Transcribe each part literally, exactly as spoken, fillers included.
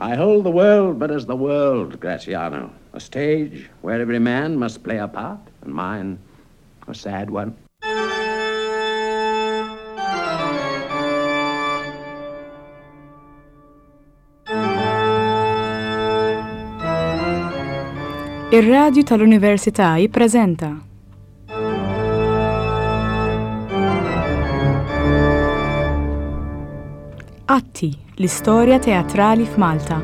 I hold the world but as the world, Graziano, a stage where every man must play a part, and mine a sad one. Ir-Radju tal-Università jippreżenta Atti, l-istorja teatrali f'Malta.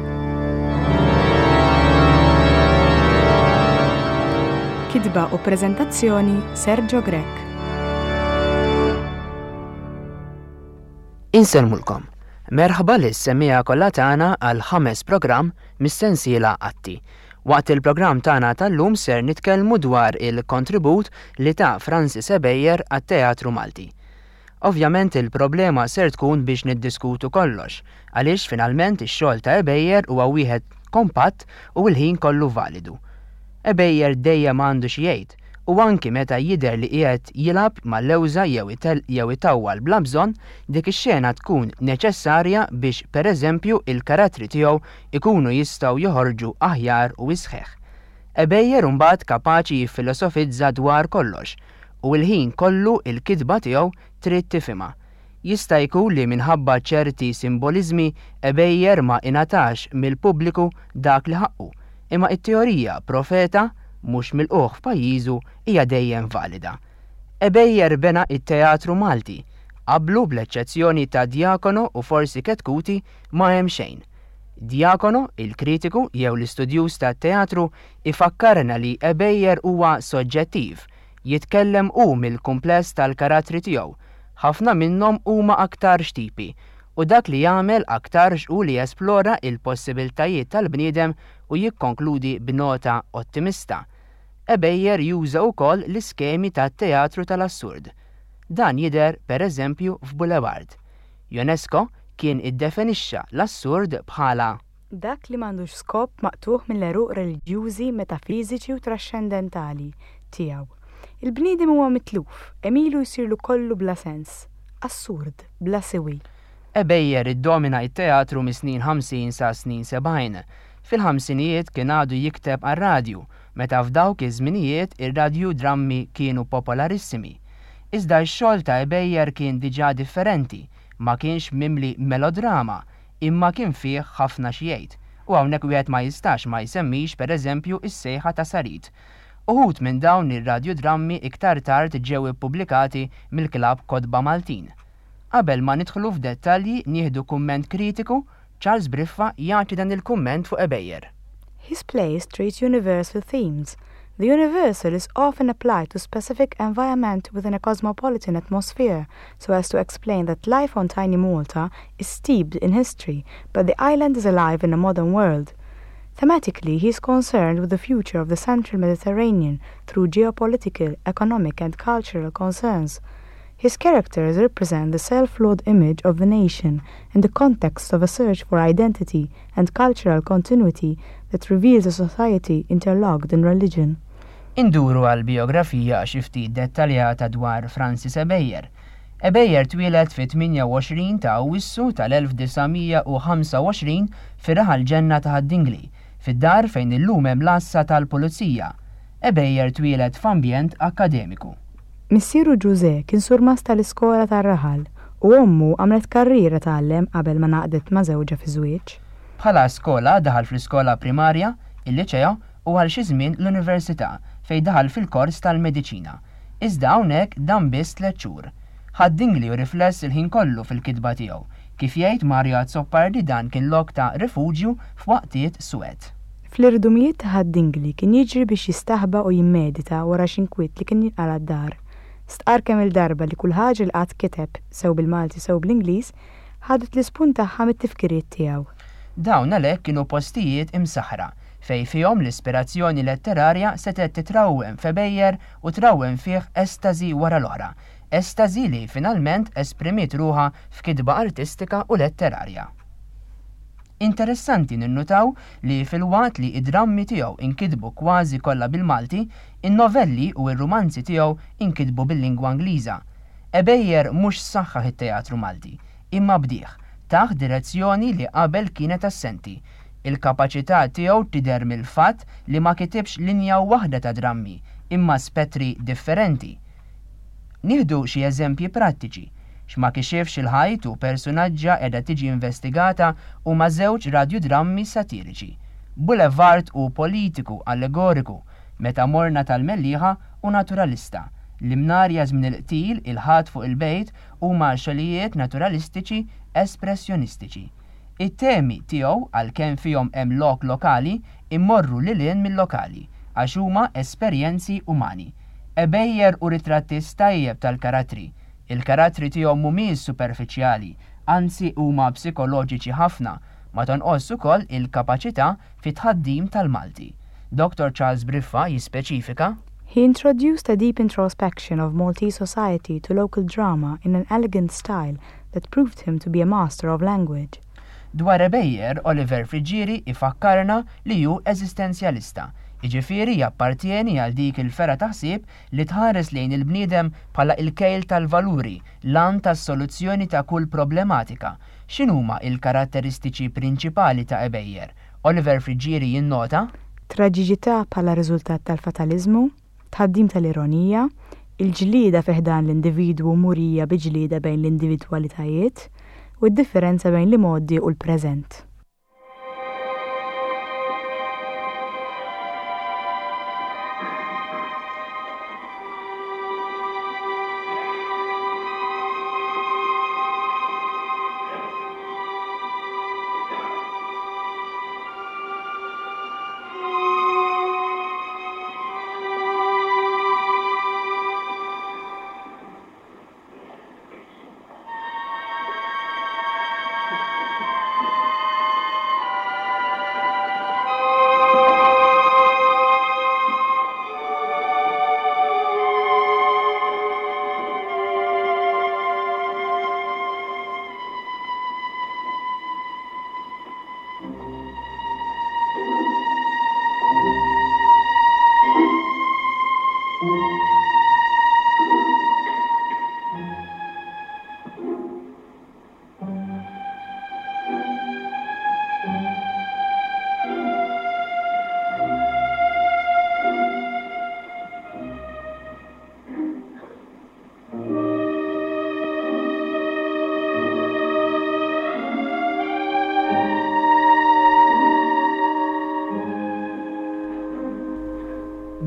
Kitba u preżentazzjoni Sergio Grech. Insellmulkom. Merħba lis semmiegħa kollha tagħna għal ħames programm mis-sensiela Atti. Waqt il-programm tagħna tal-lum ser nitkellmu dwar il-kontribut li ta' Francis Ebejer għat-Teatru Malti. Ovvjament il-problema ser tkun biex niddiskutu kollox, għaliex finalment ix-xogħol ta' Ebejer huwa wieħed kompatt u l-ħin kollu validu. Ebejer dejjem għandu xi jgħid, u anki meta jidher li qiegħed jilgħab mal-lewża jew itel jew itawwal bla bżonn, dik ix-xena tkun neċessarja biex pereżempju il-karattri tiegħu ikunu jistgħu joħorġu aħjar u isħeħ. Ebejer imbagħad kapaċi jiffilosofizza dwar kollox, u l-ħin kollu il-kitba tiegħu trid tifhimha. Jista' jkun li minħabba ċerti simboliżmi Ebejer ma ingħatax mill-pubbliku dak li ħaqqu, imma it-teorija profeta mhux milqugħ f'pajjiżu hija dejjem valida. Ebejer bena it-teatru Malti, qablu bl-eċċezzjoni ta' Diacono u forsi Chetcuti ma hemm xejn. Diacono, il-kritiku jew l-istudjuż tat-teatru, ifakkarna li Ebejer huwa soġġettiv, jitkellem hu mill-kumpless tal-karattri tiegħu, ħafna minnhom huma aktarx tipi, u dak li jagħmel aktarx hu li jesplora il-possibiltajiet tal-bniedem u jikkonkludi b'nota ottimista. Ebejer juża wkoll l-iskemi tat-teatru tal-assurd. Dan jidher pereżempju f'Boulevard. Ionesco kien iddefinixxa l-assurd bħala Dak li m'għandux skop maqtugħ mill-għeruq reliġjużi, metafiżiċi u traxxendentali tiegħu. Il-bniedem huwa mitluf, għemilu jsirlu kollu bla sens, assurd, bla siwi. Ebejer iddomina it-teatru mis-snin ħamsin sa snin sebgħin. Fil-ħamsinijiet kien għadu jikteb għar-radju, meta f'dawk iż-żminijiet ir-radju drammi kienu popolarissimi. Iżda x-xogħol ta' Ebejer kien diġà differenti, ma kienx mimli melodrama, imma kien fih ħafna xi jgħid. U hawnhekk wieħed ma jistax ma jsemmix pereżempju is-sejħa ta' Sarid. Uħud minn dawn ir-radjodrammi iktar tard ġew ippubblikati mill-Klabb Kotba Maltin. Qabel ma nidħlu f'dettalji nieħdu kumment kritiku, Charles Briffa jagħti dan il-kumment fuq Ebejer. His plays treat universal themes. The universal is often applied to specific environment within a cosmopolitan atmosphere, so as to explain that life on tiny Malta is steeped in history, but the island is alive in a modern world. Thematically, he is concerned with the future of the central Mediterranean through geopolitical, economic, and cultural concerns. His characters represent the self-flawed image of the nation in the context of a search for identity and cultural continuity that reveals a society interlocked in religion. Induru għal biografija xi ftit dettaljata dwar Francis Ebejer. Ebejer twieled fit-tmienja u għoxrin ta' Awwissu tal-elf disa' mija u ħamsa u għoxrin fir-raħal Ġenna ta' Ħad-Dingli, fid-dar fejn illum hemm l-għassa tal-Pulizija. Ebejer twieled f'ambjent akkademiku. Missieru Ġuże kien surmast tal-iskola tar-raħal u ommu għamlet karriera tgħallem qabel ma ngħaqdet ma' żewġha fi żwieġ. Bħala skola daħal fl-iskola primarja, il-liċeo u għal xi żmien l-università fejn daħal fil-kors tal-mediċina. Iżda hawnhekk dan biss tliet xhur. Ħad-Dingli u rifless il-ħin kollu fil-kitba tiegħu. Kif jgħid Mario Azzopardi dan kien lok ta' rifuġju f'waqtiet suwed. Fl-irdumijiet ta' Ħad-Dingli kien jiġri biex jistaħba u jimmedita wara xi nkwiet li kien jinqala' d-dar. Stqar kemm il-darba li kull ħaġa li qatt kiteb, sew bil-Malti sew bl-Ingliż, ħadet l-ispunt tagħha mit-tifkiriet tiegħu. Dawn għalhekk kienu postijiet imsaħra fejn fihom l-ispirazzjoni letterarja setgħet titrawwem f'Ebejer u trawwem fih estasi wara l-oħra, estasi li finalment esprimiet ruħha f'kitba artistika u letterarja. Interessanti ninnutaw li fil-waqt li id-drammi tiegħu inkitbu kważi kollha bil-Malti, in-novelli u r-rumanzi tiegħu inkitbu bil-lingwa Ingliża. Ebejer mhux saħħaħ it-teatru Malti, imma bdieh, taħ direzzjoni li qabel kienet assenti. Il-kapaċità tiegħu tidher mill-fatt li ma kitibx linja waħda ta' drammi, imma spettri differenti. Nieħdu xi eżempji prattiċi. X'ma kixifx il-ħajt u personaġġa qiegħda tiġi investigata huma żewġ radjudrammi satiriċi. Boulevard u politiku allegoriku, Meta morna tal-Mellieħa u naturalista. L-Imnarja żmien il-qtil, il-ħadd fuq il-bejt huma xogħlijiet naturalistiċi espressjonistiċi. It-temi tiegħu għalkemm fihom hemm lok lokali immorru lil hinn mill-lokali għax huma esperjenzi umani. Ebejer u ritrattist tajjeb tal-karattri. Il-karattri tiegħu mhumiex superfiċjali, anzi huma psikoloġiċi ħafna, ma tonqos ukoll il-kapaċità fit-tħaddim tal-Malti. Dr. Charles Briffa jispeċifika He introduced a deep introspection of Maltese society to local drama in an elegant style that proved him to be a master of language. Dwar Ebejer, Oliver Friggieri ifakkarna li hu eżistenzjalista. Iġifieri jappartieni għal dik il-fergħa ta' ħsieb li tħares lejn il-bniedem bħala il-kejl tal-valuri, l-għan tas-soluzzjoni ta' kull problematika. X'inhuma il-karatteristiċi prinċipali ta' Ebejer? Oliver Friggieri jinnota Traġiċità bħala riżultat tal-fatalizmu, tħaddim tal-ironija, il-ġlieda fi ħdan l-individwu murija bi ġlieda bejn l-individwalitajiet, u d-differenza bejn l-imgħoddi u l-preżent.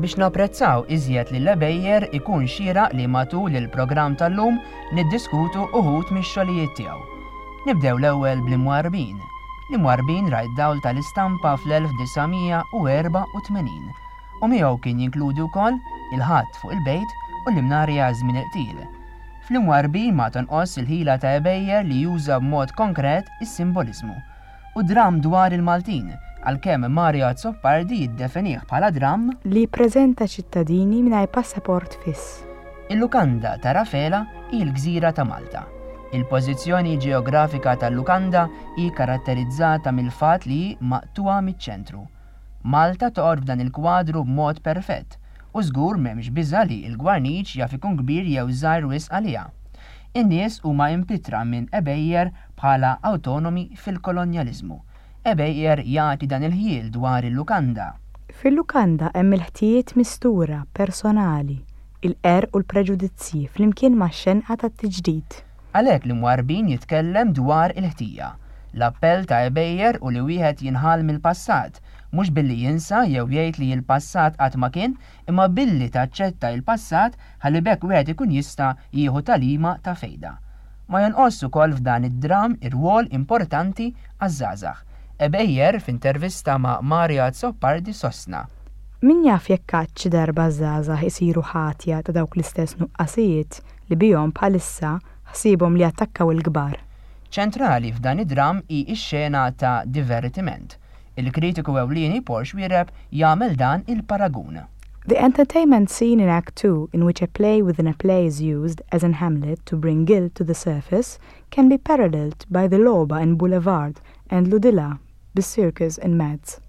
Biex napprezzaw iżjed lil Ebejer ikun xieraq li matul il-programm tal-lum niddiskutu uħud mix-xogħlijiet tiegħu. Nibdew l-ewwel bl-Imwarbin. L-Imwarbin ra d-dawl tal-istampa fl-elf disa' mija u erba' u tmenin u miegħu kien jinkludi wkoll il-ħadd fuq il-bejt u l-Imnarja żmien il-qtil. Fl-Imwarbin ma tonqos il-ħila ta' Ebejer li juża b'mod konkret is-simboliżmu. U dram dwar il-Maltin, għalkemm Mario Azzopardi jiddefinih bħala dram li jippreżenta ċittadini mingħajr passaport fiss. Il-lukanda ta' Rafela hi l-gżira ta' Malta. Il-pożizzjoni ġeografika tal-lukanda hi karatterizzata mill-fatt li hi maqtuha miċ-ċentru. Malta toqgħod f'dan il-kwadru b'mod perfett u żgur m'hemmx biża' li l-gwarniċ jaf ikun kbir jew żgħir wisq għaliha. In-nies huma impitra minn Ebejer bħala autonomi fil-kolonjaliżmu. Ebejer jagħti dan il-ħjiel dwar il-lukanda. Fil-lukanda hemm il-ħtijiet mistura personali, il-qerq u l-preġudizzji flimkien max-xenqa tat-tiġdid. Għalhekk l-Imwarbin jitkellem dwar il-ħtija. L-appell ta' Ebejer u li wieħed jinħall mill-passat, mhux billi jinsa jew jgħid li l-passat qatt ma kien, imma billi taċċetta il-passat ħalli b'hekk wieħed ikun jista' jieħu tagħlima ta' fejda. Ma jonqos ukoll f'dan id-dram ir-rwol importanti għaż-żgħażagħ. Ebejer f'intervista ma' Mario Azzopardi sostna. Min jaf jekk qatt xi darba żgħażagħ isiru ħatja ta' dawk l-istess nuqqasijiet li bihom bħalissa ħsiebhom li attakkaw il-kbar. Ċentrali f'dan id-dram hi x-xena ta' divertiment. Il-kritiku ewlieni Paul Xuereb jagħmel dan il-paragun. The entertainment scene in Act two, in which a play within a play is used, as in Hamlet, to bring guilt to the surface, can be paralleled by the Loba in Boulevard and Ludilla, the circus in Mads.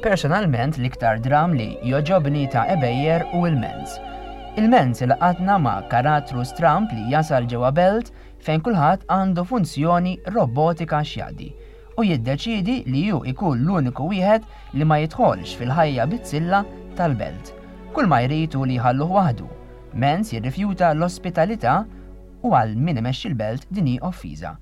Personalment l-iktar dram li jogħġobni ta' Ebejer hu Il-Mens. Il-Mens ilaqatna ma' karattru stramp li jasal ġewwa belt fejn kulħadd għandu funzjoni robotika x'jaqdi u jiddeċidi li hu ikun l-uniku wieħed li ma jidħolx fil-ħajja bizzilla tal-belt. Kull ma jrid hu li jħalluh waħdu. Mens jirrifjuta l-ospitalità u għal min imexxi l-belt din hi offiża.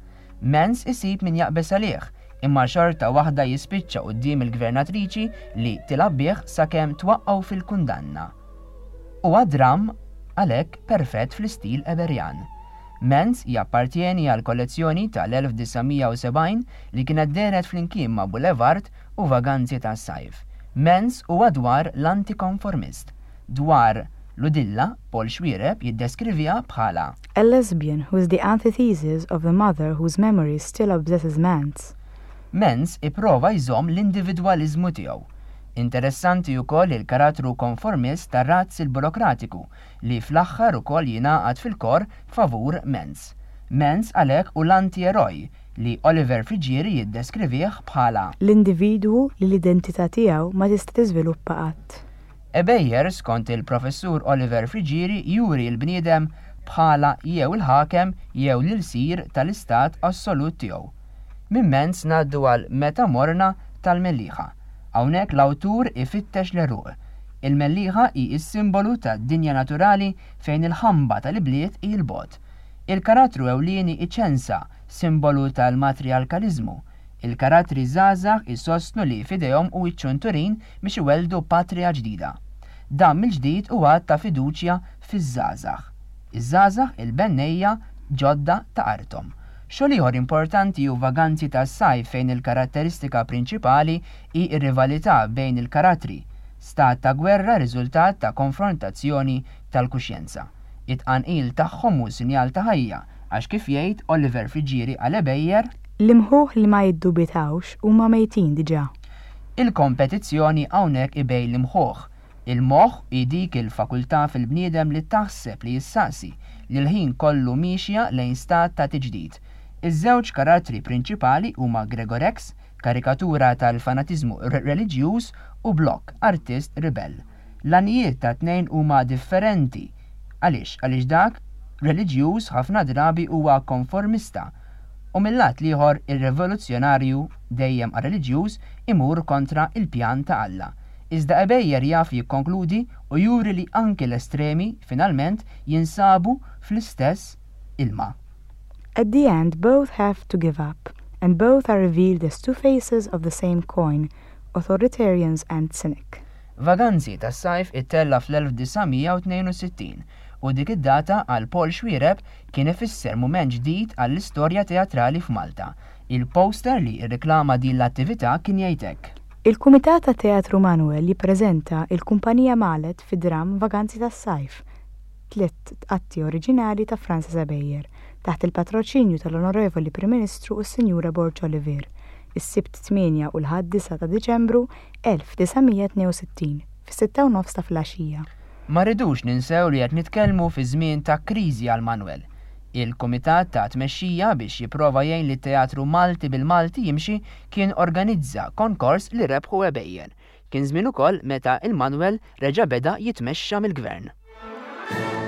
Mens isib min jaqbeż għalih, imma xorta waħda jispiċċa quddiem il-gvernatriċi li tilgħab bih sakemm twaqqgħu fil-kundanna. Huwa dram għalhekk perfett fl-istil Eberjan. Mens jappartjeni għal kollezzjoni tal-elf disa' mija u sebgħin li kienet dehret flimkien ma' Boulevard u Vaganzi tas-Sajf. Mens huwa dwar l-antikonformist. Dwar Ludilla, Paul Xuereb jiddeskriviha bħala a lesbian who is the antithesis of the mother whose memory still obsesses Mens. Mens ipprova jżomm l-individwaliżmu tiegħu. Interessanti wkoll il-karattru konformist tar-razz il-burokratiku li fl-aħħar ukoll jingħaqad fil-kor favur Mens. Mens għalhekk hu l-anti-eroj li Oliver Friggieri jiddeskrivih bħala l-individwu li l-identità tiegħu ma tista' tiżviluppa qatt. Ebejer, skont il-professur Oliver Friggieri, juri l-bniedem bħala jew il-ħakem jew l-ilsir tal-istat assolut tiegħu. Minn Mens ngħaddu għal Meta Morna tal-Mellieħa. Hawnhekk l-awtur ifittex l-għeruq. Il-Mellieħa hi s-simbolu tad-dinja naturali fejn il-ħamba tal-ibliet hi l-bogħod. Il-karattru ewlieni iċensa, simbolu tal-matriarkaliżmu. Il-karattri żgħażagħ isostnu li f'idejhom hu ċ-ċunturin biex iwelldu patria ġdida. Dan mill-ġdid huwa ta' fiduċja fiż-żgħażagħ. Iż-żgħażagħ il-bennejja ġodda ta' arthom. Xogħol ieħor importanti hu Vaganzi tas-Sajf fejn il-karatteristika prinċipali hi r-rivalità bejn il-karattri, stat ta' gwerra riżultat ta' konfrontazzjoni tal-kuxjenza. It-tqanqil tagħhom hu sinjal ta' ħajja, għax kif jgħid Oliver Friggieri għal Ebejer, l-imħuħ li ma jiddubitawx huma mejtin diġà. Il-kompetizzjoni hawnhekk ibej l-imħuħ. Il-moħħ hi dik il-fakultà fil-bniedem li taħseb li jissaqsi li l-ħin kollu miexja lejn stat ta' tiġdid. Iż-żewġ karattri prinċipali huma Gregorex, karikatura tal-fanatiżmu re-, reliġjuż, u Block, artist ribell. L-għanijiet ta' tnejn huma differenti. Għaliex? Għaliex dak reliġjuż ħafna drabi huwa konformista u mill-lat l-ieħor ir-rivoluzzjonarju dejjem reliġjuż imur kontra il-pjan ta' Alla. Iżda Ebejer jaf jikkonkludi u juri li anki l-estremi finalment jinsabu fl-istess ilma. At the end, both have to give up, and both are revealed as two faces of the same coin, authoritarians and cynic. Vaganzi tas-sajf ittella fl-elf disa' mija u tnejn u sittin u dik id-data għal Paul Xuereb kien ifisser mument ġdid għall-istorja teatrali f'Malta. Il-poster li rriklama din l-attività kien jgħid hekk. Il-Kumitat ta' Teatru Manuel jippreżenta il-Kumpanija Malet fi dram Vaganzi tas-Sajf, tliet atti oriġinali ta' Francis Ebejer, taħt il-patroċinju tal-Onorevoli Prim Ministru u s-Sinjura Borg Olivier, is-Sibt tmienja u l-Ħadd disa' ta' Diċembru elf disa' mija tnejn u sittin, fis-sitta u nofs ta' filgħaxija. Ma rridux ninsew li qed nitkellmu fi żmien ta' kriżi għal Manuel. Il-Kumitat ta' Tmexxija biex jipprova jgħin li t-Teatru Malti bil-Malti jimxi kien organizza konkors li rebħu Ebejer. Kien żmien ukoll meta il-Manuel reġa' beda jitmexxa mill-gvern. Thank you.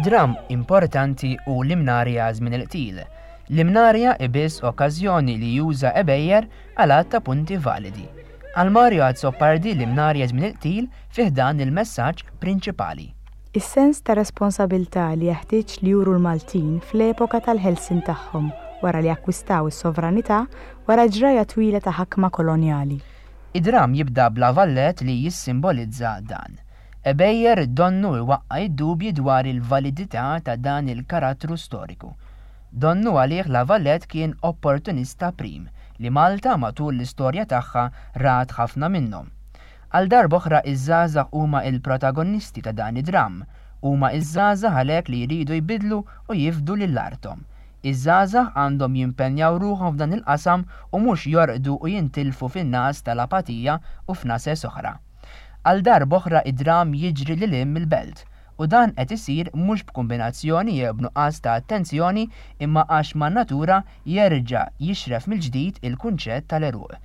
Dram importanti hu l-Imnarja żmien il-qtil. L-Imnarja ibiss okkażjoni li juża Ebejer għal għadd ta' punti validi. Għal Mario Azzopardi l-Imnarja żmien il-qtil fih dan il-messaġġ prinċipali. Is-sens ta' responsabilità li jeħtieġ li juru l-Maltin fl-epoka tal-ħelsien tagħhom wara li akkwistaw is-sovranità wara ġraja twila ta' ħakma kolonjali. Id-dram jibda b'La Valette li jissimbolizza dan. Ebejer donnu iwaqqa' id-dubji dwar il-validità ta' dan il-karattru storiku. Donnu għalih La Valette kien opportunista prim li Malta matul l-istorja tagħha rat ħafna minnhom. Għal darb'oħra iż-żgħażagħ huma il-protagonisti ta' dan id-dram, huma iż-żgħażagħ għalhekk li jridu jbidlu u jifdu lil arthom. Iż-żgħażagħ għandhom jimpenjaw ruħhom f'dan il-qasam u mhux jorqdu u jintilfu fin-nas tal-apatija u f'nases oħra. Għal darb'oħra id-dram jiġri lil hinn mill-belt, u dan qed isir mhux b'kombinazzjoni jew b'nuqqas ta' attenzjoni imma għax man-natura jerġa' jixref mill-ġdid il-kunċett tal-għeruq.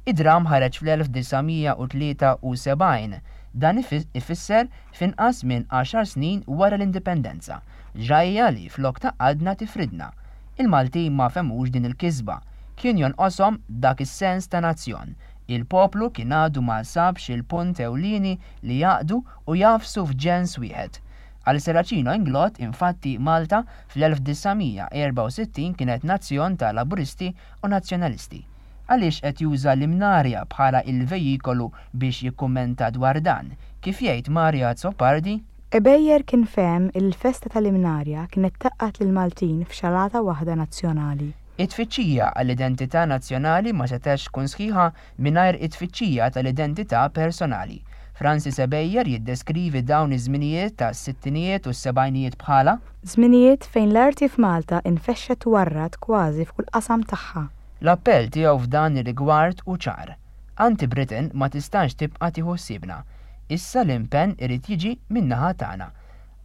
Id-dram ħareġ fl-elf disa' mija u tlieta u sebgħin, dan ifisser f'inqas minn għaxar snin wara l-indipendenza, ġrajja li flok tgħaqqadna tifridna. Il-Maltin ma fehmux din il-kisba, kien jonqoshom dak is-sens ta' nazzjon. Il-poplu kien għadu ma sabx il-punt ewlieni li jaqdu u jafsu f'ġens wieħed. Għal Serracino Inglott, infatti, Malta fl-elf disa' mija erba' u sittin kienet nazzjon ta' laburisti u nazzjonalisti. Għaliex qed juża l-Imnarja bħala il-vejikolu biex jikkummenta dwar dan, kif jgħid Mario Azzopardi? Ebejer kien fehem il-festa tal-Imnarja kienet tgħaqqad lill-Maltin f'xalata waħda nazzjonali. It-tfittxija għall-identità nazzjonali ma setgħetx tkun sħiħa mingħajr it-tfittxija tal-identità personali. Francis Ebejer jiddeskrivi dawn iż-żminijiet tas-sittinijiet u s-sebgħinijiet bħala żminijiet fejn l-arti f'Malta infexxet u warrat kważi f'kull qasam tagħha. L-appell tiegħu f'dan ir-rigward hu ċar. Anti-Britain ma tistax tibqa' tieħu ħsiebna. Issa l-impenn irid jiġi min-naħa tagħna.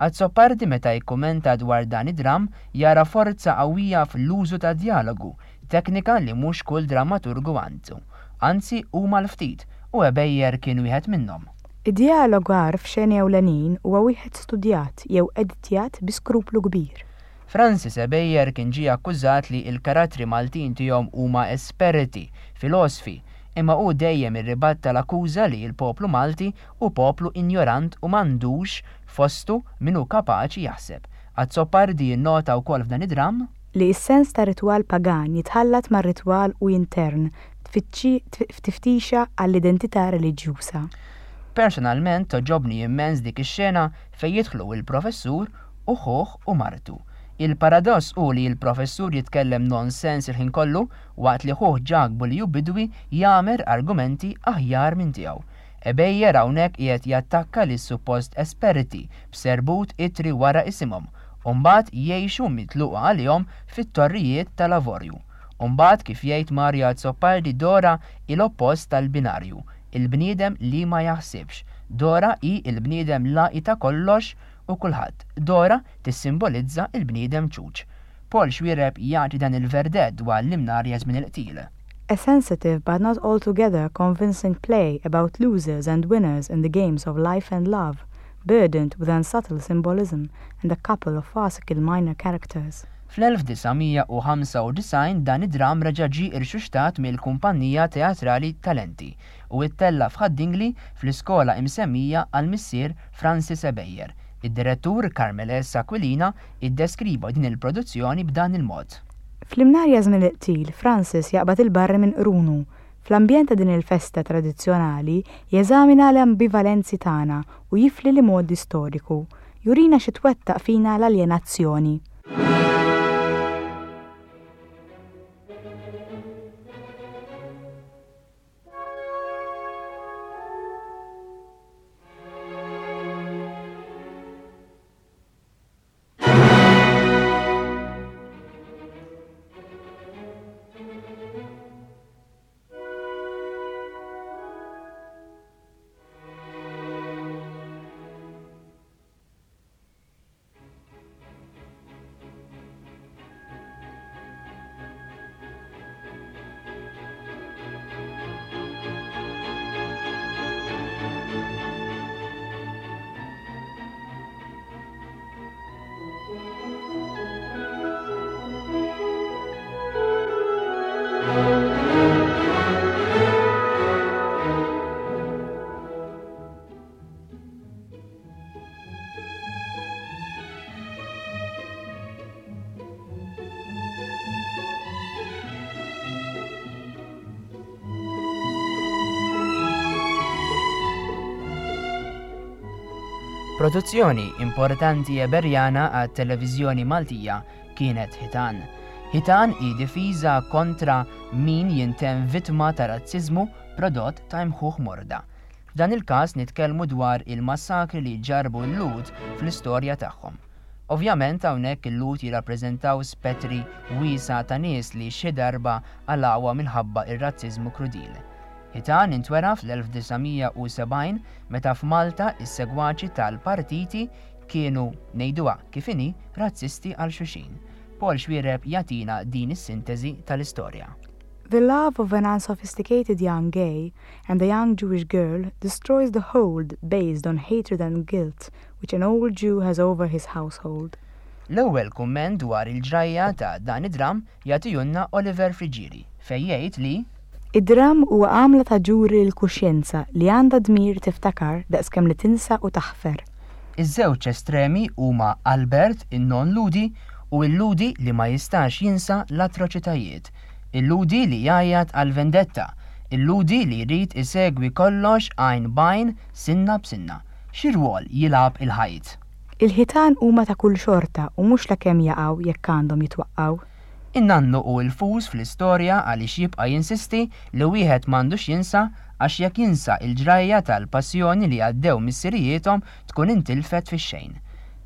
Azzopardi meta jikkumenta dwar dan id-dram jara forza qawwija fl-użu ta' dialogu, teknika li mhux kull drammaturgu għandu. Anzi huma l-ftit, u Ebejer kien wieħed minnhom. Id-dialogu għar f'xeni ewlenin huwa wieħed studjat jew editjat bi skruplu kbir. Francis Ebejer kien ġie akkużat li l-karattri Maltin tiegħu huma esperti, filosfi, imma hu dejjem irribatta l-akkuża li l-poplu Malti hu poplu injorant u m'għandux fostu min hu kapaċi jaħseb. Azzopardi jinnota wkoll f'dan id-dram li s-sens ta' ritwal pagan jitħallat mar-ritwal u intern f'tiftixa għall-identità reliġjuża. Personalment toġobni immens dik ix-xena fejn jidħlu il-professur u ħuh u martu. Il-paradoss hu li l-professur jitkellem nonsens il-ħin kollu waqt li ħuh Ġakbu li hu bidwi jagħmel argumenti aħjar minn tiegħu. Ebejer hawnhekk qiegħed jattakka lis suppost esperti b'serbut itri wara isimhom u mbagħad jgħixu mitluqa għalihom fit-torrijiet tal-avorju. U mbagħad kif jgħid Mario Azzopardi Dora il-oppost tal-binarju, il-bniedem li ma jaħsibx. Dora hi il-bniedem laqi ta' kollox u kulħadd. Dora tissimbolizza il-bniedem ċuċ. Paul Xuereb jagħti dan il-verdett dwar l-Imnarja żmien il-qtil. A sensitive but not altogether convincing play about losers and winners in the games of life and love, burdened with unsubtle symbolism and a couple of farcical minor characters. Fl-elf disa' mija u ħamsa u disgħin dan id-dram reġa' ġie irxuxtat mill-kumpanija teatrali Talenti u ittella' f'Ħad-Dingli fl-iskola imsemmija għal missier Francis Ebejer. Id-direttur Carmel S. Aquilina iddeskriva din il-produzzjoni b'dan il-mod. Fl-Imnarja żmien il-qtil, Francis jaqbad il-barri minn qrunu. Fl-ambjent ta' din il-festa tradizzjonali jeżamina l-ambivalenzi tagħna u jifli li modi storiku. Jurina xi twettaq fina l-aljenazzjoni. Produzzjoni importanti Eberjana għat-televiżjoni Maltija kienet Ħitan. Ħitan hi difiża kontra min jintemm vittma ta' razziżmu prodott ta' imħuħ morda. F'dan il-każ nitkellmu dwar il-massakri li ġarbu l-Lhud fl-istorja tagħhom. Ovvjament hawnhekk il-Lhud jirrappreżentaw spettri wiesgħa ta' nies li xi darba qalgħuha minħabba ir-razziżmu krudil. Ħitan intwera fl-elf disa' mija u sebgħin meta f'Malta is-segwaċi tal-partiti kienu, ngħiduha kif inhi, razzisti għal xulxin. Paul Xuereb jagħtina din is-sintesi tal-istorja. The love of an unsophisticated young gay and a young Jewish girl destroys the hold based on hatred and guilt which an old Jew has over his household. L-ewwel kumment dwar il-ġrajja ta' dan id-dram jagħtihulna Oliver Friggieri fejn jgħid li Id-dram huwa għamla ta' ġuri l-kuxjenza li għandha dmir tiftakar daqskemm li tinsa u taħfer. Iż-żewġ estremi huma Albert in-non Lhudi u l-Lhudi li ma jistax jinsa l-atroċitajiet, il-Lhudi li jgħajjat għal vendetta, il-Lhudi li jrid isegwi kollox għajn b'għajn, sinna b'sinna. Xi rwol jilgħab il-ħajt? Il-ħitan huma ta' kull xorta u mhux lakemm jaqgħu jekk għandhom jitwaqqgħu. In-nannu u l-fus fl-istorja għaliex jibqa' jinsisti li wieħed m'għandux jinsa għax jekk jinsa il-ġrajja tal-passjoni li għaddew missirijiethom tkun intilfet fix-xejn.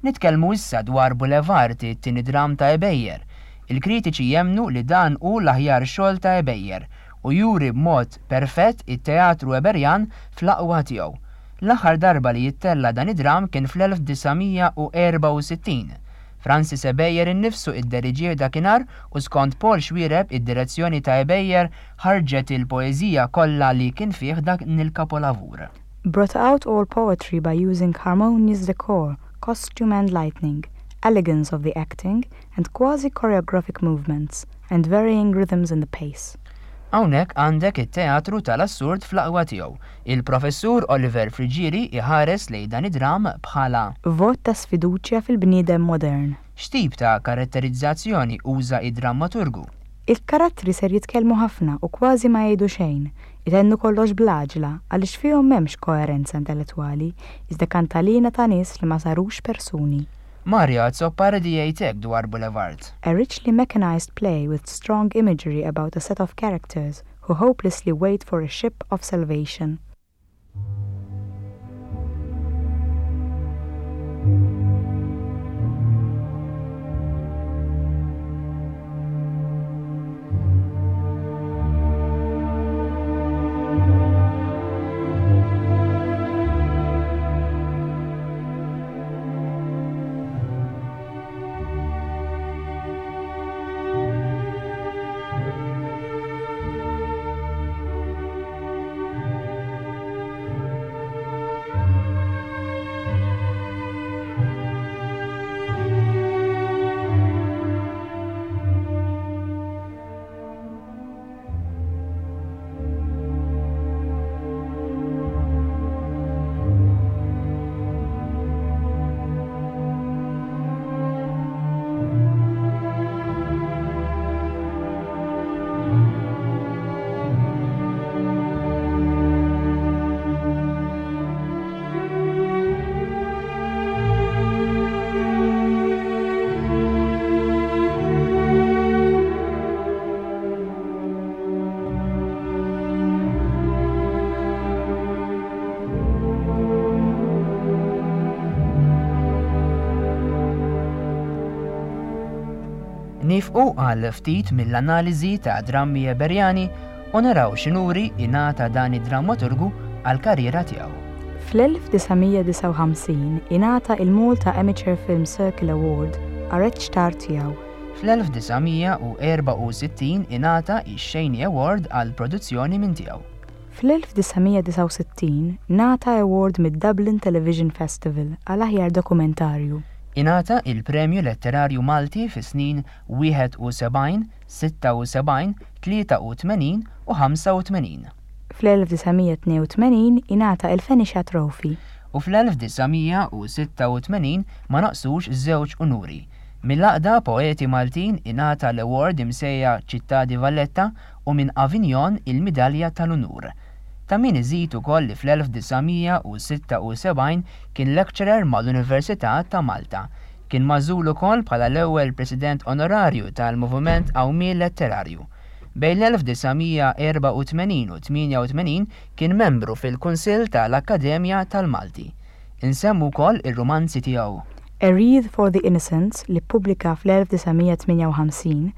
Nitkellmu issa dwar Boulevard, it-tieni dram ta' Ebejer. Il-kritiċi jemnu li dan hu l-aħjar xogħol ta' Ebejer u juri b'mod perfett it-teatru Eberjan fl-aqwa tiegħu. L-aħħar darba li jittella dan id-dram kien fl-elf disa' mija u erba' u sittin. Francis Ebejer innifsu idderiġih dakinhar u skont Paul Xuereb id-direzzjoni ta' Ebejer ħarġet il-poeżija kollha li kien fih dak il-kapolavur. Brought out all poetry by using harmonious decor, costume and lightning, elegance of the acting, and quasi-choreographic movements, and varying rhythms in the pace. Hawnhekk għandek it-teatru tal-assurd fl-aqwa tiegħu. Il-professur Oliver Friggieri iħares lejn dan id-dram bħala vot ta' sfiduċja fil-bniedem modern. X'tip ta' karatterizzazzjoni uża id-drammaturgu? Il-karattri ser jitkellmu ħafna u kważi ma jgħidu xejn, itennu kollox bl-għaġla għaliex fihom m'hemmx koerenza intellettwali, iżda kantalina ta' nies li ma sarux persuni. Mario Azzopardi jgħid hekk dwar Boulevard. A richly mechanized play with strong imagery about a set of characters who hopelessly wait for a ship of salvation. Nifqu għal ftit mill-analiżi ta' drammi Eberjani u naraw x'inuri ingħata dan id-drammaturgu għall-karriera tiegħu. Fl-elf disa' mija disgħa u ħamsin ingħata il-Malta Amateur Film Circle Award għar-reċtar tiegħu. Fl-elf disa' mija u erba' u sittin ingħata ix-Xejni Award għal produzzjoni minn tiegħu. Fl-elf disa' mija disgħa u sittin ngħata award mid-Dublin Television Festival għal aħjar dokumentarju. Ingħata il-Premju Letterarju Malti fi snin wieħed u sebgħin, sitta u sebgħin, tlieta u tmenin u ħamsa u tmenin. Fl-elf disa' mija tnejn u tmenin ingħata il-Fenicia Trophy. U fl-elf disa' mija u sitta u tmenin ma naqsux żewġ unuri. Mill-Għaqda Poeti Maltin ingħata l-award imsejja Città di Valletta u minn Avignon il-Midalja tal-Unur. Ta' min iżid ukoll li fl-elf disa' mija u sitta u sebgħin kien lecturer mal-Università ta' Malta. Kien magħżul ukoll bħala l-ewwel president onorarju tal-Moviment Qawmien Letterarju. Bejn l-elf disa' mija erba' u tmenin u tmienja u tmenin kien membru fil-Kunsill tal-Akkademja tal-Malti. Insemmu wkoll ir-rumanzi tiegħu. A Wreath for the Innocents li ppubblika fl-elf disa' mija tmienja u ħamsin,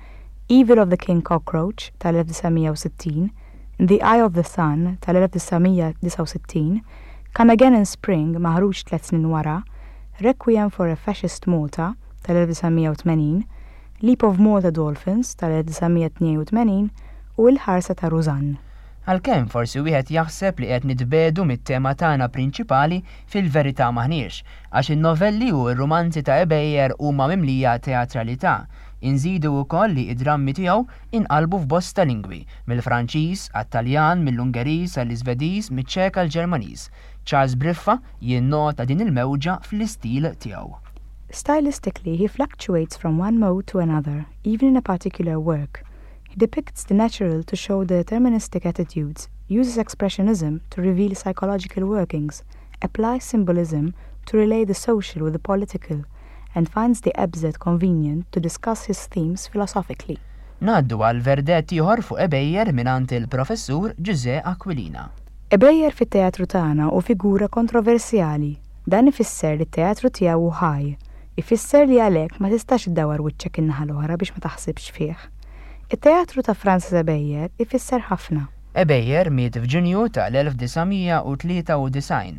Evil of the King Cockroach tal-elf disa' mija u sittin, In the Eye of the Sun tal-elf disa' mija disa' u sittin, Come Again in Spring maħruġ tliet snin wara, Requiem for a Fascist Malta tal-elf disa' mija u tmenin, Leap of Malta Dolphins tal-elf disa' mija tnejn u tmenin u Il-Ħarsa ta' Rużann. Għalkemm forsi wieħed jaħseb li qed nitbedu mit-tema tagħna prinċipali, fil-verità maħniex, għax in-novelli u r-rumanzi ta' Ebejer huma mimlija teatralità. Inżidu wkoll li id-drammi tiegħu inqalbu f'bosta lingwi, mill-Franċiż għat-Taljan, mill-Ungeriż għall-Iżvediż, miċ-Ċek għall-Ġermaniż. Charles Briffa jinnota din il-mewġa fl-istil tiegħu. Stylistically, he fluctuates from one mode to another, even in a particular work. He depicts the natural to show the deterministic attitudes, uses expressionism to reveal psychological workings, applies symbolism to relay the social with the political, and finds the absurd convenient to discuss his themes philosophically. Ngħaddu għal verdett ieħor fuq Ebejer mingħand il-professur Ġużè Aquilina. Ebejer fit-teatru tagħna hu figura kontroversjali. Dan ifisser li t-teatru tiegħu hu ħaj. Ifisser li għalhekk ma tistax iddawwar wiċċek in-naħa l-oħra biex ma taħsibx fih. It-teatru ta' Francis Ebejer ifisser ħafna. Ebejer miet f'Ġunju tal-elf disa' mija u tlieta u disgħin.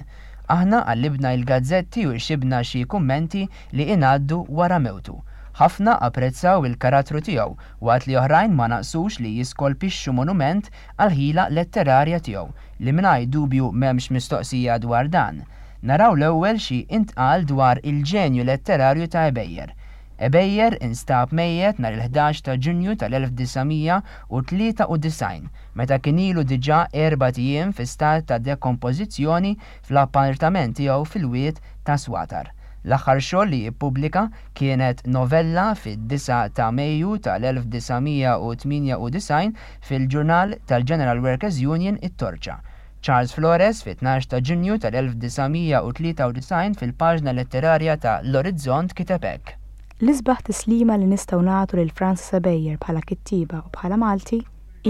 Aħna qallibna il-gazzetti u xibna xi kummenti li ingħaddu wara mewtu. Ħafna apprezzaw il-karattru tiegħu, waqt li oħrajn ma naqsux li jiskolpixxu monument għal-ħila letterarja tiegħu, li mingħajr dubju m'hemmx mistoqsija dwar dan. Naraw l-ewwel xi intqal dwar il-ġenju letterarju ta' Ebejer. Ebejer instab mejjet nhar il-ħdax ta' Ġunju tal-elf disa' mija u tlieta u disgħin, meta kien ilu diġà erbat ijiem fi stat ta' dekompożizzjoni fl-appartament tiegħu fil-wied ta' Swatar. L-aħħar xogħol li ppubblika kienet novella fid-disa ta' Mejju tal-elf disa' mija u tmienja u disgħin fil-ġurnal tal-General Workers Union It-Torċa. Charles Flores fit-tnax ta' Ġunju tal-elf disa' mija u tlieta u disgħin fil-paġna letterarja ta' L-Orizzont kiteb hekk. L-isbaħ tislima li nistgħu nagħtu lil Francis Ebejer bħala kittieba u bħala Malti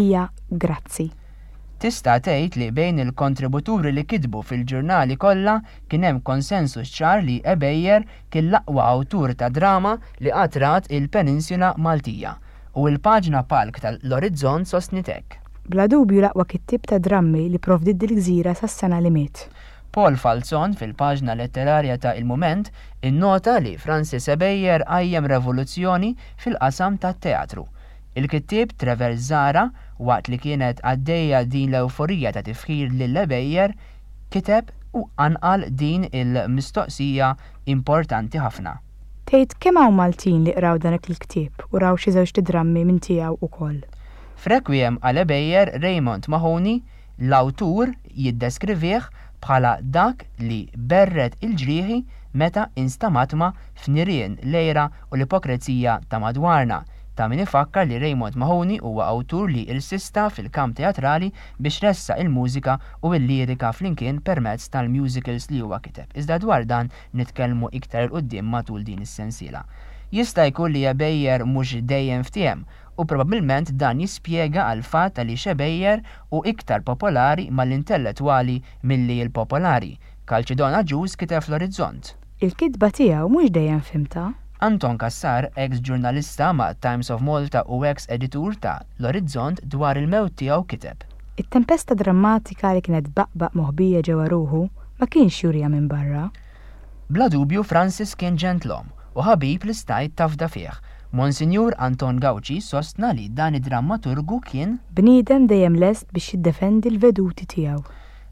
hija grazzi. Tista' tgħid li bejn il-kontributuri li kitbu fil-ġurnali kollha kien hemm konsensus ċar li Ebejer kien l-aqwa awtur ta' drama li qatt rat il-Peninsula Maltija, u l-paġna palk tal-Orizzont sostniet hekk. Bla dubju l-aqwa kittieb ta' drammi li provdiet dil-gżira sas-sena li miet. Paul Falzon fil-paġna letterarja ta' Il-Mument innota li Francis Ebejer qajjem revoluzzjoni fil-qasam tat-teatru. Il-kittieb Trevor Zahra, waqt li kienet għaddejja din l-euforija ta' tifħir lil Ebejer, kiteb u anqal din il-mistoqsija importanti ħafna. Tgħid kemm hawn Maltin li qraw dan il-ktieb u raw xi żewġ drammi minn tiegħu ukoll. F'Requiem għal Ebejer, Raymond Mahoney, l-awtur jiddeskrivih bħala dak li berret il-ġrieħi meta instamatma f'nirien l-għira u l-ipokrezija ta' madwarna. Ta' min ifakkar li Raymond Mahoney huwa awtur li irsista fil-kamp teatrali biex ressa il-mużika u l-lirika flimkien permezz tal-musicals li huwa kiteb. Iżda dwar dan nitkellmu iktar 'il quddiem matul din is-sensiela. Jista' jkun li Ebejer mhux dejjem ftiehem, u probabbilment dan jispjega għal fatt għaliex Ebejer hu iktar popolari mal-intellettwali milli l-popolari. Kalċidon Agius kiteb fl-Orizzont. Il-kitba tiegħu mhux dejjem fhimtha. Anton Cassar, ex-ġurnalista ma' Times of Malta u ex-editur ta' L-Orizzont, dwar il-mewt tiegħu kiteb. It-tempesta drammatika li kienet baqbaq moħbija ġewwa ruħu ma kienx jurija minn barra. Bla dubju Francis kien ġentlom u ħabib li stajt tafda fih. Monsinjur Anton Gauci sostna li dan id-drammaturgu kien bniedem dejjem lest biex jiddefendi l-veduti tiegħu.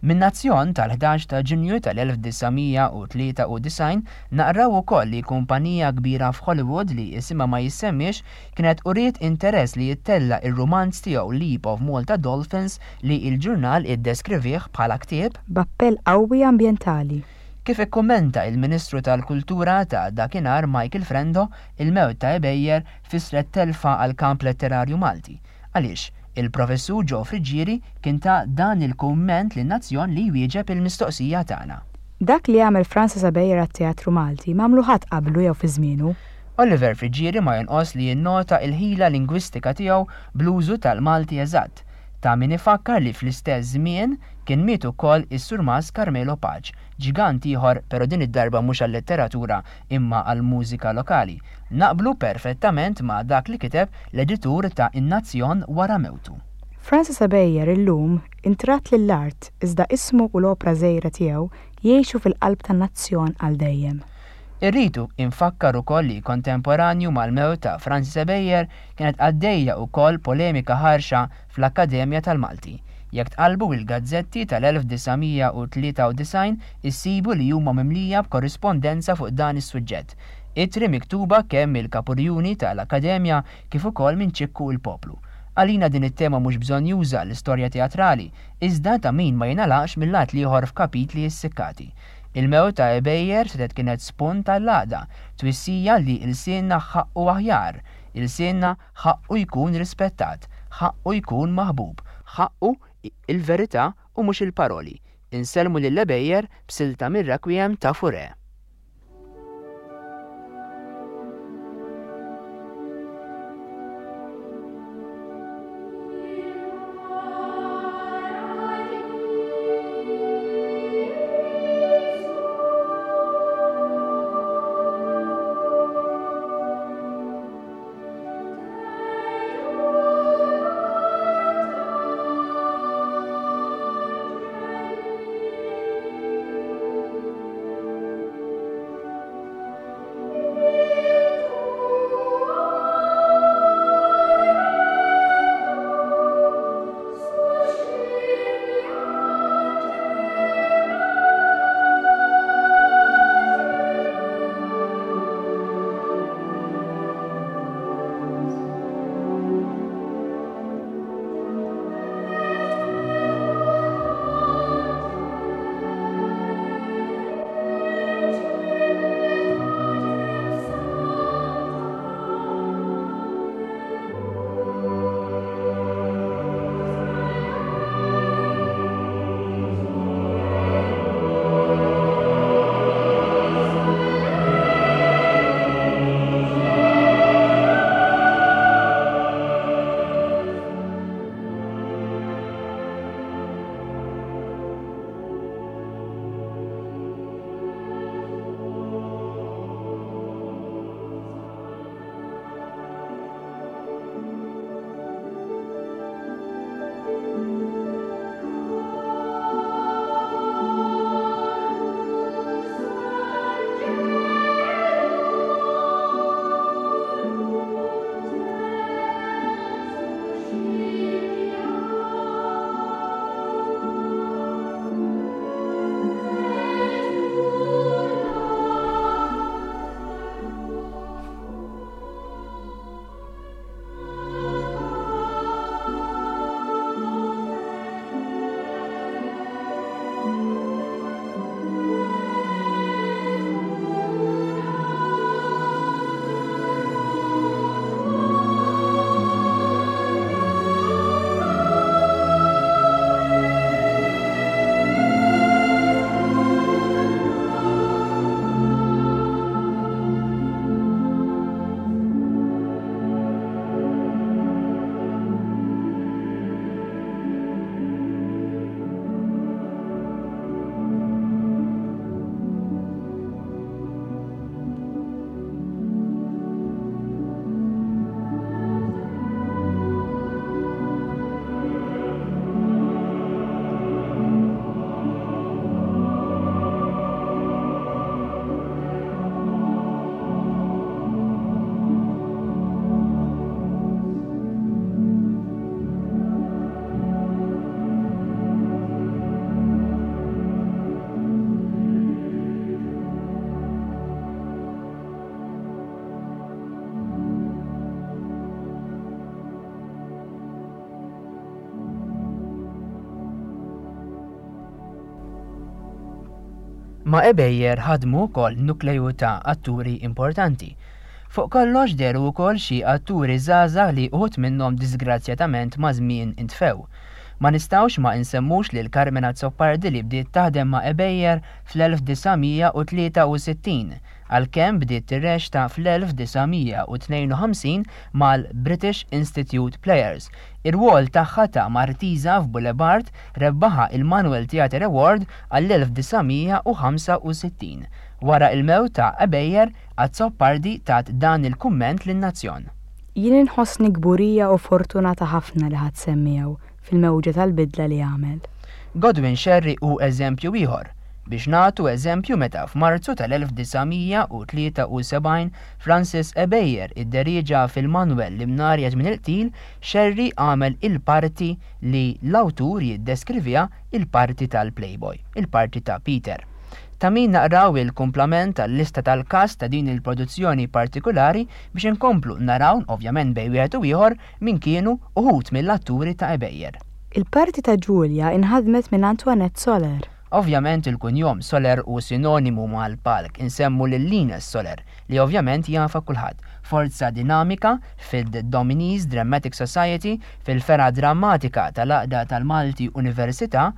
Min-Nazzjon tal-ħdax ta' Ġunju tal-elf disa' mija u tlieta u disgħin naqraw ukoll li kumpanija kbira f'Hollywood li isimha ma jissemmiex kienet uriet interess li jittella' ir-rumanz tiegħu Leap of Malta Dolphins li l-ġurnal iddeskrivih bħala ktieb b'appell qawwi ambjentali. Kif ikkummenta il-Ministru tal-Kultura ta' dakinhar Michael Frendo, il-mewt ta' Ebejer fisret telfa għal kamp letterarju Malti. Għaliex, Il-professur Joe Friggieri kien ta dan il-kumment lin-Nazzjon li jwieġeb il-mistoqsija tagħna. Dak li għamel Francis Ebejer għat-teatru Malti m'għamlu ħadd qablu jew fi żmienu. Oliver Friggieri ma jonqos li jinnota il-ħila lingwistika tiegħu bl-użu tal-Malti eżatt. Ta' min ifakkar li fl-istess żmien kien miet ukoll is-Surmas Carmelo Pace, ġgant ieħor però din id-darba mhux għal-letteratura imma għall-mużika lokali. Naqblu perfettament ma' dak li kiteb l-editur ta' In-Nazzjon wara mewtu. Francis Ebejer illum intratt lill-art iżda ismu u l-opra żgħira tiegħu jgħixu fil-qalb tan-nazzjon għal dejjem. Irridu infakkar ukoll li kontemporanju mal-mewt ta' Francis Ebejer kienet għaddejja wkoll polemika ħarxa fl-Akkademja tal-Malti. Jekk tqalbu il-gazzetti tal-elf disa' mija u tlieta u disgħin issibu li huma mimlija b'korrispondenza fuq dan is-suġġett. Ittri miktuba kemm il-kapurjuni tal-Akkademja kif ukoll minn Ċikku il-Poplu. Għalina din it-tema mhux bżonn juża l-istorja teatrali, iżda ta' min ma jingħalaqx mill-lat l-ieħor f'kapitli issikkati. Il-mewt ta' Ebejer setgħet kienet spunt għall-għaqda, twissija li ilsienna ħaqqu aħjar, ilsienna ħaqqu jkun rispettat, ħaqqu jkun maħbub, ħaqqu il-verità u mhux il-paroli. Insellmu lil Ebejer b'silta mir-Requiem ta' Fauré. Ma' Ebejer ħadmu wkoll nukleju ta' atturi importanti. Fuq kollox dehru wkoll xi atturi żgħażagħ li uħud minnhom disgrazzjatament maż-żmien intfew. Ma nistgħux ma insemmux lil Carmen Azzopardi li bdiet taħdem ma' Ebejer fl-elf disa' mija u tlieta u sittin, għalkemm bdiet tirreċta fl-elf disa' mija u tnejn u ħamsin mal-British Institute Players. Ir-rwol tagħha ta' Martisa f'Boulevard rebbaħa il-Manuel Theatre Award għall-elf disa' mija u ħamsa u sittin. Wara il-mewt ta' Ebejer, Azzopardi tat dan il-kumment lin-nazzjon. Jien inħossni kburija u fortunata ħafna li ħadd semmiegħu fil-mewġa tal-bidla li għamel. Godwin Scerri hu eżempju ieħor. Biex nagħtu eżempju meta f'Marzu tal-elf disa' mija u tlieta u sebgħin Francis Ebejer idderieġa fil-Manuel li mnarja żmien il-qtil, Scerri għamel il-parti li l-awtur jiddeskriviha il-parti tal-Playboy, il-parti ta' Peter. Ta' min naqraw il-kumplament tal-lista tal-kast ta' din il-produzzjoni partikolari biex inkomplu naraw, ovvjament bejn wieħed u ieħor, min kienu uħud mill-atturi ta' Ebejer. Il-parti ta' Giulia inħadmet minn Antoinette Soler. Ovvjament il-kunjom Soler u sinonimu mal-palk insemmu lil Linus Soler li ovvjament jafa kulħadd. Forza dinamika fil-Dominis Dramatic Society, fil-fergħa drammatika tal-Għaqda tal-Malti Università,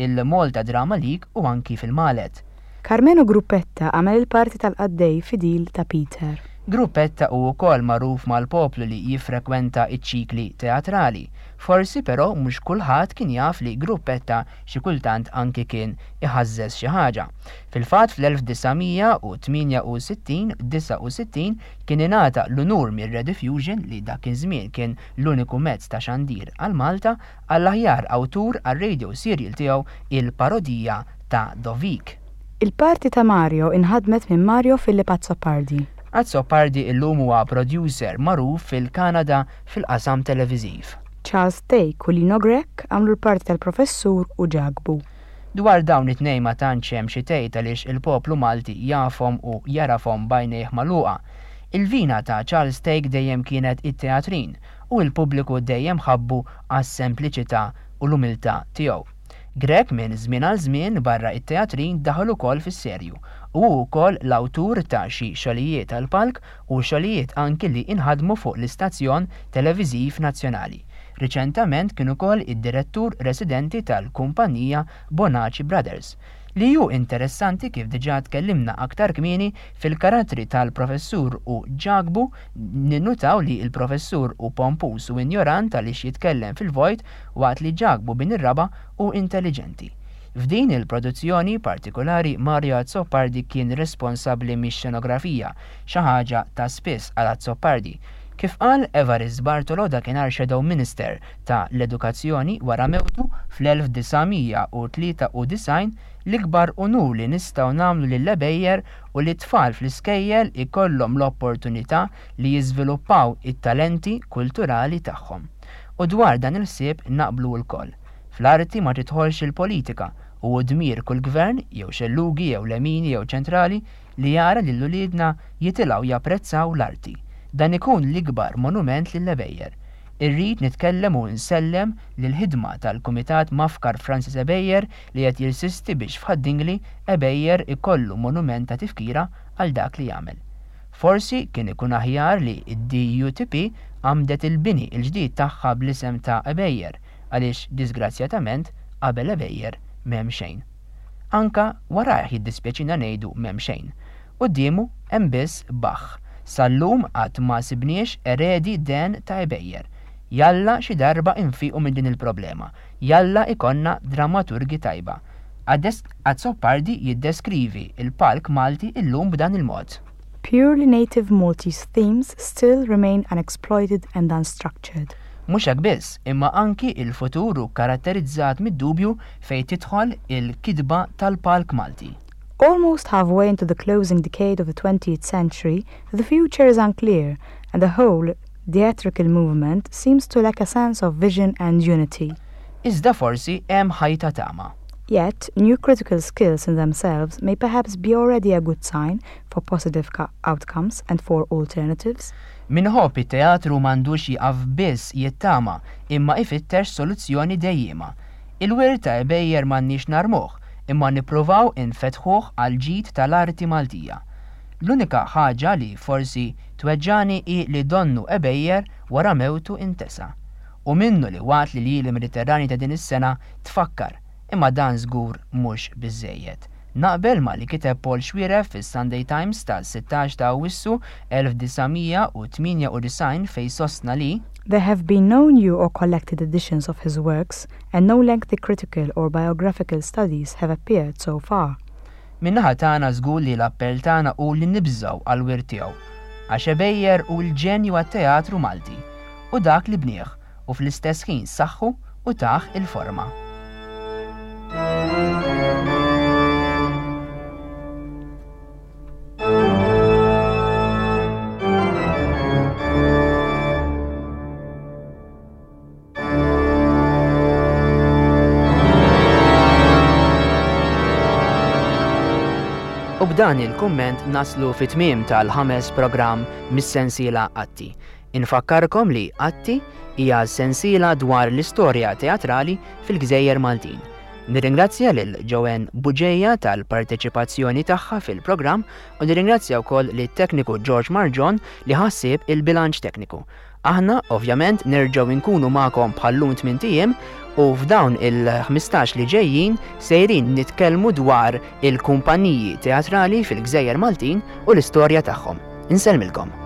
il-Malta Drama League u anki fil-Malet. Carmelo Gruppetta għamel il-parti tal-qaddej fidil ta' Peter. Gruppetta u wkoll magħruf mal-poplu li jiffrekwenta iċ-ċikli teatrali. Forsi però mhux kulħadd kien jaf li Gruppetta xi kultant anki kien iħażżeż xi ħaġa. Fil-fatt fl-elf disa' mija u tmienja u sittin, disa' u sittin kien ingħata l-unur mir-Rediffusion li dak iż-żmien kien l-uniku mezz ta' xandir għal Malta għall-aħjar awtur għar-radio serial tiegħu il-parodija ta' Dovik. Il-parti ta' Mario inħadmet minn Mario Philip Azzopardi. Azzopardi illum huwa producer magħruf fil-Kanada fil-qasam televiżiv. Charles Thake u Lino Grech għamlu l-parti tal-professur u Ġakbu. Dwar dawn it-tnejn ma tantx hemm xi tgħid għaliex il-poplu Malti jafhom u jarafhom b'għajnejh magħluqa. Il-vina ta' Charles Thake dejjem kienet it-teatrin u l-pubbliku dejjem ħabbu għas-sempliċità u l-umiltà tiegħu. Grech minn żmien għal żmien barra it-teatrin daħal ukoll fis-serju u hu wkoll l-awtur ta' xi xogħlijiet tal-palk u xogħlijiet anki li inħadmu fuq l-istazzjon televiżiv nazzjonali. Riċentament kien ukoll id-direttur residenti tal-kumpanija Bonaci Brothers. Li hu interessanti kif diġà tkellimna aktar kmieni fil-karattri tal-professur u Ġakbu, ninnutaw li l-professur hu pompus u injorant għaliex jitkellem fil-vojt waqt li Ġakbu bin ir-raba u intelligenti. F'din il-produzzjoni partikolari Mario Azzopardi kien responsabbli mix-xenografija, xi ħaġa ta' spiss għal Azzopardi. Kif qal Evarist Bartolo dakinhar Shadow Minister ta' l-Edukazzjoni wara mewtu fl-elf disa' mija u tlieta u disgħin, l-ikbar unur li nistgħu nagħmlu lil Ebejer u li tfal fl-iskejjel ikollhom l-opportunità li jiżviluppaw it-talenti kulturali tagħhom. U dwar dan il-ħsieb naqblu lkoll. Fl-arti ma tidħolx il-politika u hu dmir kull gvern jew xellugi jew lemini jew ċentrali li jara lil uliedna jitilgħu japprezzaw l-arti. Dan ikun l-ikbar monument lil Ebejer. Irrid nitkellem u nsellem lil ħidma tal-Kumitat Mafkar Francis Ebejer li qed jirsisti biex f'Ħad-Dingli Ebejer ikollu monument ta' tifkira għal dak li jagħmel. Forsi kien ikun aħjar li d-D U T P għamdet il-bini il-ġdid tagħha bl-isem ta' Ebejer għaliex disgrazzjatament qabel Ebejer m'hemm xejn. Anka warajh jiddispjaċina ngħidu m'hemm xejn. Quddiemu hemm biss baħħ. Sal-lum qatt ma sibniex eredi den ta' Ebejer. Jalla xi darba infiqu minn din il-problema. Jalla ikonna dramaturgi tajba. Ades Azzopardi jiddeskrivi il-palk Malti illum b'dan il-mod. Purely native Maltese themes still remain unexploited and unstructured. Mhux hekk biss, imma anki il-futur hu karatterizzat mid-dubju fejn tidħol il-kidba tal-palk Malti. Almost halfway into the closing decade of the twentieth century, the future is unclear, and the whole theatrical movement seems to lack a sense of vision and unity. Iżda forsi hemm ħajta tama. Yet, new critical skills in themselves may perhaps be already a good sign for positive ca-, outcomes and for alternatives. Minħobb it-teatru m'għandux jieqaf biss jittama, imma ifittex soluzzjoni dejjema. Il-wirt ta' Ebejer m'għandniex narmuh, imma nippruvaw infetħuh għal ġid tal-arti Maltija. L-unika ħaġa li forsi Tweġġagħni hi li donnu Ebejer wara mewtu intesa. U minnu li waqt li l-Ljieli Mediterrani ta' din is-sena tfakkar, imma dan żgur mhux biżżejjed. Naqbel ma' li kiteb Paul Xuereb fis-Sunday Times ta' sittax ta' Awwissu elf disa' mija u tmienja u disgħin fejn sostna li There have been no new or collected editions of his works, and no lengthy critical or biographical studies have appeared so far. Min-naħa tagħna żgur li l-appell tagħna hu li nibżgħu għall-wirt tiegħu, għax Ebejer hu l-ġenju għat-teatru Malti u dak li bnieh u fl-istess ħin saħħu u taħ il-forma. U b'dan il-kumment naslu fit-tmiem tal-ħames programm mis-sensiela Atti. Infakkarkom li Atti hija sensiela dwar l-istorja teatrali fil-Gżejjer Maltin. Nirringrazzja lil Joanne Bugeja tal-parteċipazzjoni tagħha fil-programm u nirringrazzja wkoll lit-tekniku George Marġon li ħassib il-bilanċ tekniku. Aħna ovvjament nerġgħu nkunu magħkom bħallum tmien ijiem u f'dawn il-ħmistax li ġejjin sejrin nitkellmu dwar il-kumpaniji teatrali fil-Gżejjer Maltin u l-istorja tagħhom. Insellmilkom.